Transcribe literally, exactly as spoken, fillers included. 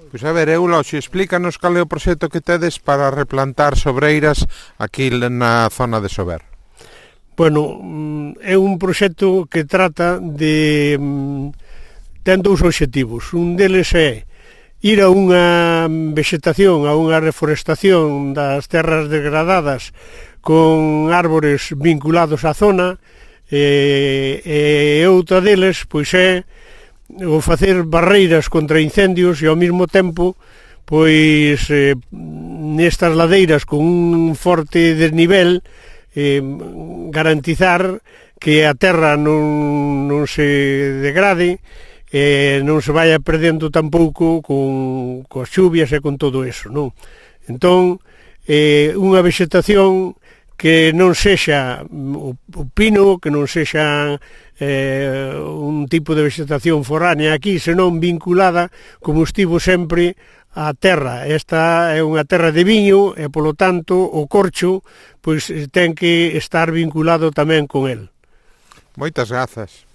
Pois a ver, Euloxio, explícanos cal é o proxecto que tedes para replantar sobreiras aquí na zona de Sober. Bueno, é un proxecto que trata de... ten dous obxectivos. Un deles é ir a unha vegetación, a unha reforestación das terras degradadas con árbores vinculados á zona, e, e outra deles pois é o facer barreiras contra incendios e ao mesmo tempo pois eh, nestas ladeiras con un forte desnivel eh, garantizar que a terra non, non se degrade e non se vaya perdendo tampouco con, coas chuvias e con todo eso, non? Entón, eh, unha vegetación que non sexa o, o pino, que non sexa eh, un tipo de vegetación foránea aquí, senón vinculada, como estivo sempre, á terra. Esta é unha terra de viño e, polo tanto, o corcho pois ten que estar vinculado tamén con el. Moitas grazas.